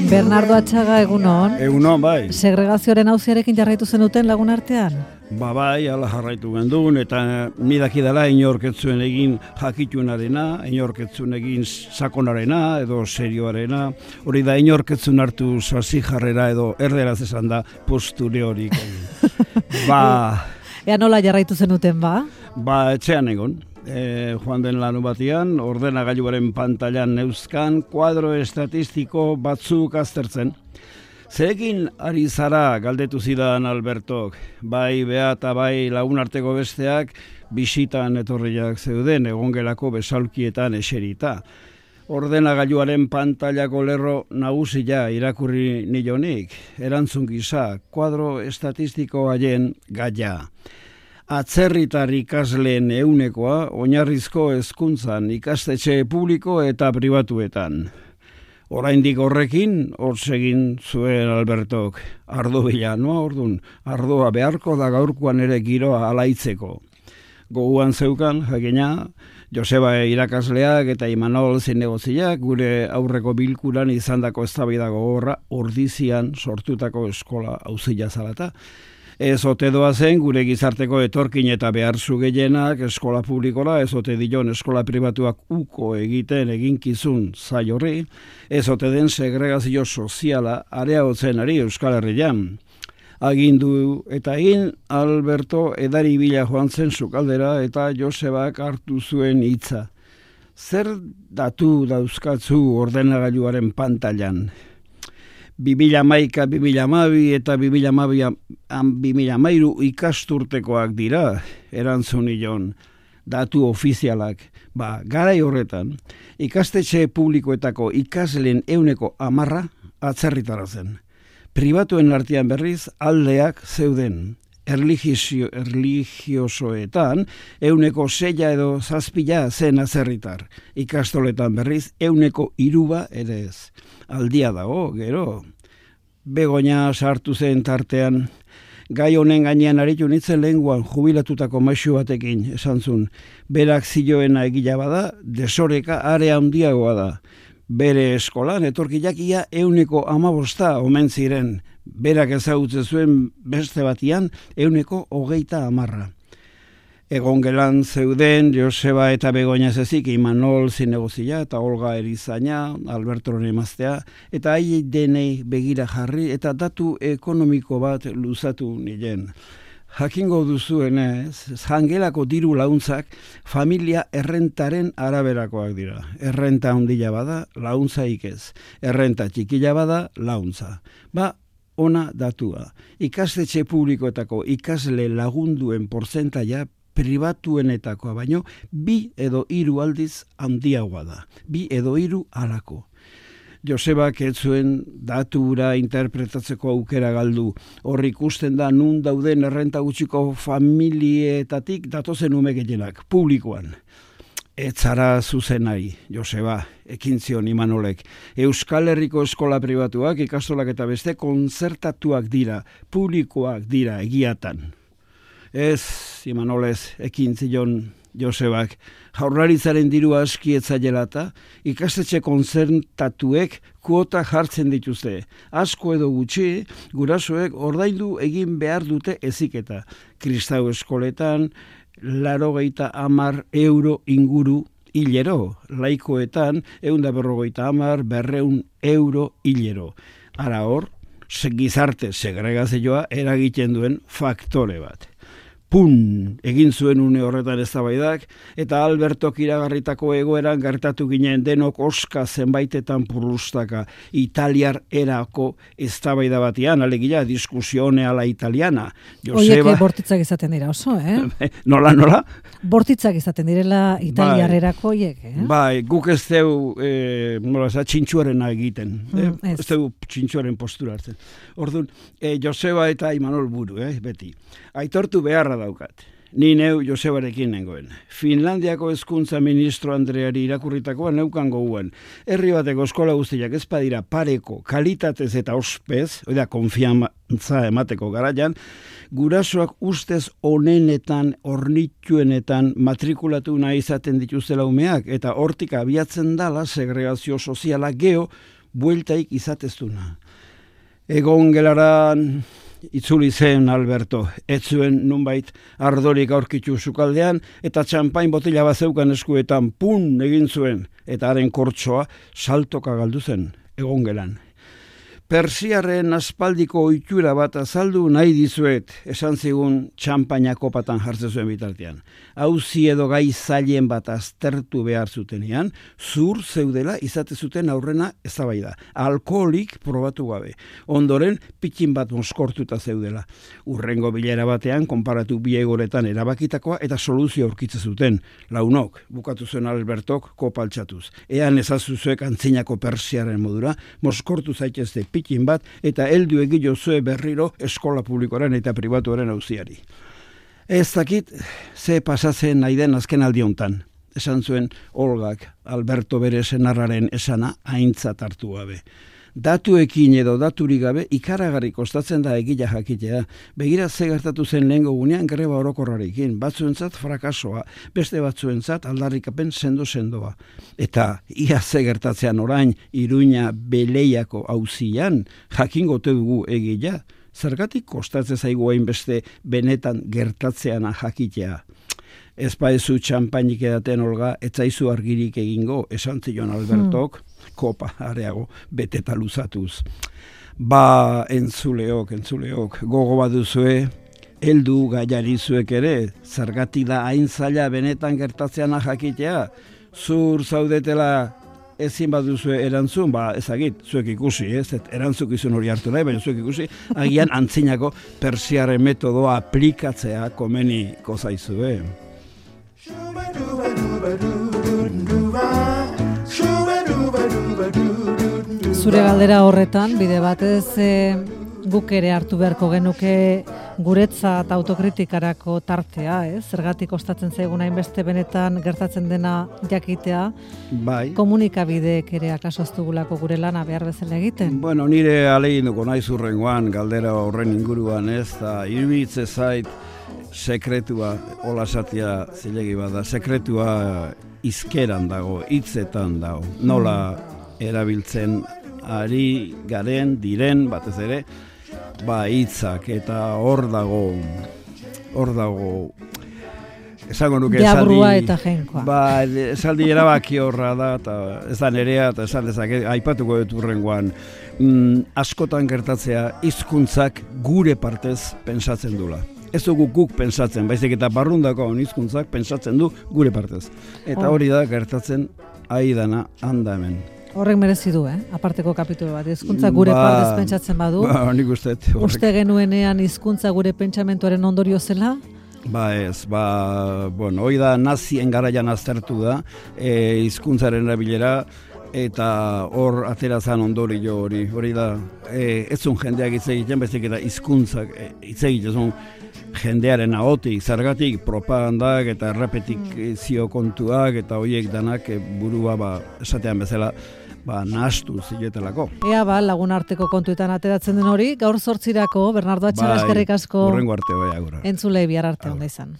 Bernardo Atxaga, egunon. Egunon, bai. Segregazioaren auziarekin jarraitu zenuten lagun artean? Bai, ala jarraitu gendun, eta nidakidala inorketzuen egin jakituenarena, inorketzuen egin sakonarena, edo serioarena, hori da inorketzuen hartu sasi jarrera, edo erderaz esan da posture horik. Ea nola jarraitu zenuten, ba? Etxean egon. Joan den lanu batian, ordenagailuaren pantailan neuzkan, kuadro estatistiko batzuk aztertzen. Zerekin ari zara galdetu zidan Albertok, bai Bea eta bai lagunarteko besteak bisitan etorriak zeuden egongelako besaulkietan eserita. Ordenagailuaren pantailako lerro nagusia irakurri nilonik, erantzun gisa, kuadro estatistiko haien gaia. Atzerritar ikasleen ehunekoa oinarrizko hezkuntzan ikastetxe publiko eta pribatuetan. Oraindik horrekin, egin zuen Albertok. Ardo bila, ordun, ardoa beharko da gaurkoan ere giroa alaitzeko. Goguan zeukan, jakina, Joseba irakasleak eta Imanol zinegotziak gure aurreko bilkuran izandako eztabaida gogorra ordizian sortutako eskola auzia zalata. Ez ote doazen gure gizarteko etorkin eta beharzu gehienak eskola publikora, ez ote dion eskola pribatuak uko egiten eginkizun zai horri, ez ote den segregazio soziala areagotzen ari Euskal Herrian. Agindu eta egin Alberto edari bila joan zen sukaldera eta Josebak hartu zuen hitza. Zer datu dauzkatzu ordenagailuaren pantailan? 2011, 2012 eta 2013 ikasturtekoak dira, erantzun nion, datu ofizialak. Garai horretan, ikastetxe publikoetako ikasleen 10% atzerritara zen. Pribatuen artean berriz aldeak zeuden. Erligiosoetan 6 edo 7 zen atzerritar. Ikastoletan berriz 3% ere ez. Aldia dago, gero. Begoña sartu zen tartean. Gai honen gainean aritu nintzen lehenguan jubilatutako maisu batekin, esan zuen. Berak zioena egila bada, desoreka are handiagoa da. Bere eskolan etorkiak ia 15% omen ziren. Berak ezagutzen zuen beste batian 20%. Egon gelan zeuden Joseba eta Begoña zezik, Imanol zinegozia eta Olga Erizaina, Alberto emaztea, eta hai denei begira jarri eta datu ekonomiko bat luzatu nilen. Jakingo duzuenez, jangelako diru launtzak familia errentaren araberakoak dira. Errenta handia bada, launtzaik ez. Errenta txikila bada, launtza. Ona datua. Ikastetxe publikoetako ikasle lagunduen portzentaia pribatuenetakoa baino 2 edo 3 aldiz handiagoa da. 2 edo 3 alako. Josebak ez zuen datura interpretatzeko aukera galdu. Hor ikusten da nun dauden errenta gutxiko familietatik datozen ume gehienak, publikoan. Ez zara zuzenai, Joseba, ekin zion Imanolek. Euskal Herriko eskola pribatuak, ikastolak eta beste kontzertatuak dira, publikoak dira egiatan. Ez, Imanolez, ekin zion Josebak, Jaurlaritzaren diru aski etzailata, ikastetxe kontzertatuek kuota jartzen dituzte. Asko edo gutxi, gurasoek ordaindu egin behar dute heziketa. Kristau eskoletan, 80 euro inguru hilero. Laikoetan, 150, 200 euro hilero. Ara hor, gizarte segregazioa eragiten duen faktore bat. Egin zuen une horretan eztabaidak, eta Albertok iragarritako egoeran gertatu ginen denok oska zenbaitetan purrustaka italiar erako eztabaida batian, alegia diskusione ala italiana. Oiek bortitzak izaten dira oso, Nola? Bortitzak izaten direla italiar erako oiek, Guk ez deu txintxuarena egiten, ez deu txintxuaren postura hartzen. Orduan, Joseba eta Imanol buru, beti. Aitortu beharra daukat. Ni neu Josebarekin nengoen. Finlandiako hezkuntza ministro Andreari irakurritakoa neukan goguan. Herri bateko eskola guztiak ez badira pareko, kalitatez eta ospez, konfiantza emateko garaian, gurasoak ustez onenetan, ornituenetan matrikulatu nahi izaten dituztela umeak, eta hortik abiatzen dala segregazio soziala bueltaik izateztuna. Egon gelaran itzuli zen Alberto, ez zuen nunbait ardorik aurkitu sukaldean, eta txampain botila bat zeukan eskuetan pun egin zuen, eta haren kortsoa saltoka galdu zen, egon gelan. Persiarren aspaldiko ohitura bat azaldu nahi dizuet, esan zigun txampaina kopatan jartzen zuen bitartean. Auzi edo gai zailen bat aztertu behar zutenean, zur zeudela izate zuten aurrena eztabaida. Alkoholik probatu gabe. Ondoren, pitin bat moskortuta zeudela. Urrengo bilera batean, konparatu bi egoretan erabakitakoa eta soluzio aurkitze zuten. Launok, bukatu zuen Albertok kopaltxatuz. Ean ezazuzuek antzinako persiaren modura, moskortu zaitezte pitin bat eta heldu egilo zue berriro eskola publikoaren eta pribatuaren auziari. Ez dakit ze pasatzen nahi den azken aldi hontan. Esan zuen Olgak Alberto bere senarraren esana aintzat hartu gabe. Datuekin edo daturik gabe ikaragarri kostatzen da egia jakitea. Begira ze gertatu zen lehengo gunean greba orokorrarekin. Batzuentzat frakasoa, beste batzuentzat aldarrikapen sendo-sendoa. Eta ia ze gertatzean orain Iruña Beleiako auzian jakingo ote dugu egia. Zergatik kostatzen zaigu hainbeste benetan gertatzeana jakitea. Ez baezu txampainik edaten Olga, etzaizu argirik egingo, esan zion Albertok, kopa areago beteta luzatuz. Entzuleok, gogo baduzue, heldu gaiari zuek ere, zergatik da hain zaila benetan gertatzeana jakitea, zur zaudetela ezin baduzue erantzun, ezagit, zuek ikusi, erantzukizun hori hartu nahi, baina zuek ikusi, agian antzinako persiarren metodoa aplikatzea komeniko zaizue. Zure galdera horretan, bide batez guk ere hartu beharko genuke guretzat autokritikarako tartea, zergatik kostatzen zaigun hainbeste benetan gertatzen dena jakitea, bai. Komunikabideek ere akaso ez dugulako gure lana behar bezala egiten. Bueno, nire ahaleginduko naiz hurrengoan galdera horren inguruan eta iruditzen zait sekretua, hola esatia zilegi bada, sekretua izkeran dago, hitzetan dago, nola erabiltzen ari garen, diren, batez ere, hitzak, eta hor dago, esango nuke Deabrua eta jenkoa. Esaldi erabaki horra da, eta ez da nerea, eta esan dezake, aipatuko dut hurrengoan, askotan gertatzea hizkuntzak gure partez pentsatzen dula. Ez dugu guk pentsatzen, baizik eta barrundako hizkuntzak pentsatzen du gure partez. Eta hori da gertatzen aidana handa hemen. Horrek merezi du, aparteko kapitulu bat. Hizkuntza gure partez pentsatzen badu. Nik uste. Uste genuenean hizkuntza gure pentsamentuaren ondorio zela? Hori da nazien garaian aztertu da, hizkuntzaren erabilera, eta hor aterazan ondorio hori da, ez zun jendeak hitz egiten, baizik eta hizkuntzak hitz egiten jendearen ahotik, zergatik propagandak eta errepetikzio kontuak eta horiek danak burua esatean bezala nahastu ziletelako. Ea lagun arteko kontuetan ateratzen den hori, gaur 8 Bernardo Atxaga eskerrik asko. Hurrengo arte agura. Entzulei bihar arte onda izan.